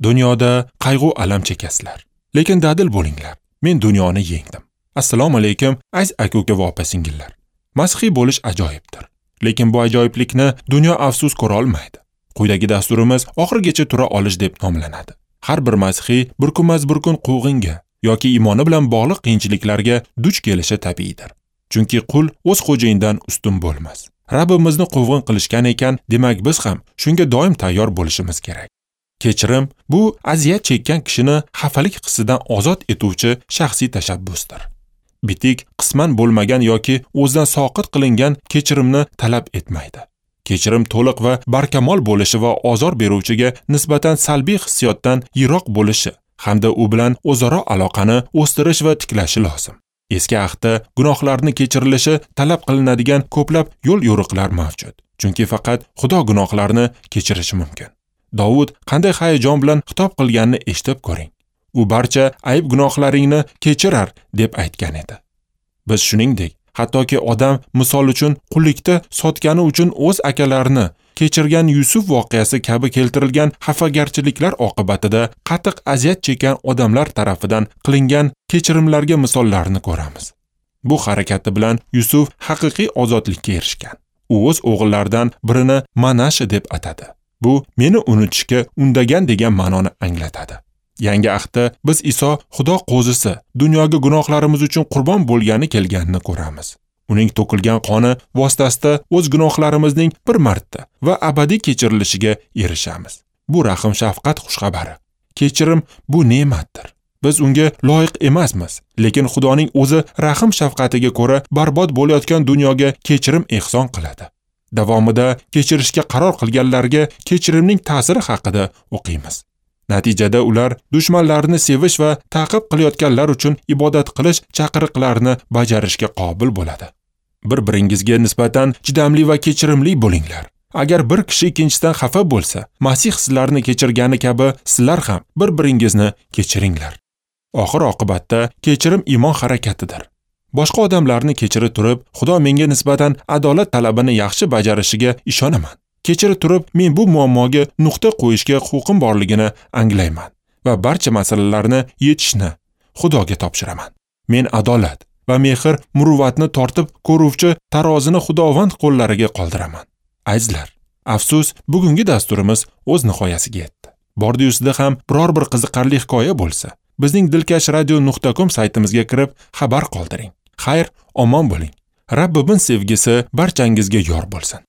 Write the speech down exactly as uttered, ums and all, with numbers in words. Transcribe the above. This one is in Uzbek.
Dunyoda qayg'u alam chekasizlar, lekin dadil bo'linglar. Men dunyoni yengdim. Assalomu alaykum, aziz aka-uka va opa-singillar. Masihiy bo'lish ajoyibdir. Lekin bu ajoyiblikni dunyo afsus ko'ra olmaydi. Quyidagi dasturimiz oxirigacha tura olish deb nomlanadi. Har bir masihiy bir kunmas bir kun quvg'inga yoki iymoni bilan bog'liq qiyinchiliklarga duch kelishi tabiiydir. Chunki qul o'z xo'jayinidan ustun bo'lmas. Rabbimizni quvg'in qilishgan ekan, demak biz ham shunga doim tayyor bo'lishimiz kerak. Kechirim bu aziyat chekkan kishini xafalik hissidan ozod etuvchi shaxsiy tashabbusdir. Bitik qisman bo'lmagan yoki o'zidan soqit qilingan kechirimni talab etmaydi. Kechirim to'liq va barkamol bo'lishi va ozor beruvchiga nisbatan salbiy hissiyotdan yiroq bo'lishi hamda u bilan o'zaro aloqani o'stirish va tiklashi lozim. Eski ahdda gunohlarni kechirilishi talab qilinadigan ko'plab yo'l-yo'riqlar mavjud. Chunki faqat Xudo gunohlarni kechirishi mumkin. Davud qanday hayajon bilan xitob qilganini eshitib ko'ring. U barcha ayb gunohlaringni kechirar deb aytgan edi. Biz shuningdek, hattoki odam misol uchun qullikda sotgani uchun o'z akalarini kechirgan Yusuf voqeasi kabi keltirilgan xafagarchiliklar oqibatida qattiq aziyat chekkan odamlar tarafidan qilingan kechirimlarga misollarni ko'ramiz. Bu harakati bilan Yusuf haqiqiy ozodlikka erishgan. U o'z o'g'illaridan birini Manasha deb atadi. Bu meni unutishga undagan degan ma'noni anglatadi. Yangi ahdda biz Iso Xudo qo'zisi, dunyoga gunohlarimiz uchun qurbon bo'lgani kelganini ko'ramiz. Uning to'kilgan qoni vositasida o'z gunohlarimizning bir marta va abadiy kechirilishiga erishamiz. Bu rahim shafqat xushxabari. Kechirim bu ne'matdir. Biz unga loyiq emasmiz, lekin Xudoning o'zi rahim shafqatiga ko'ra barbod bo'layotgan dunyoga kechirim ehson qiladi. Davomida kechirishga qaror qilganlarga kechirimning ta'siri haqida o'qiymiz. Natijada ular dushmanlarini sevish va ta'qib qilayotganlar uchun ibodat qilish chaqiriqlarini bajarishga qobil bo'ladi. Bir-biringizga nisbatan chidamli va kechirimli bo'linglar. Agar bir kishi ikkinchisidan xafa bo'lsa, Masih sizlarni kechirgani kabi sizlar ham bir-biringizni kechiringlar. Oxir oqibatda kechirim iymon harakatidir. Boshqa odamlarni kechira turib, Xudo menga nisbatan adolat talabini yaxshi bajarishiga ishonaman. Kechira turib, men bu muammoga nuqta qo'yishga huquqim borligini anglayman va barcha masalalarni yechishni Xudoga topshiraman. Men adolat va mehr muruvvatni tortib ko'ruvchi tarozini Xudovand qo'llariga qoldiraman. Azizlar, afsus, bugungi dasturimiz o'z nihoyasiga yetdi. Bordi-yusida ham biror bir qiziqarli hikoya bo'lsa, bizning dilkash radio nuqta com saytimizga kirib xabar qoldiring. Xayr, omon bo'ling. Rabbimiz sevgisi barchangizga yor bo'lsin.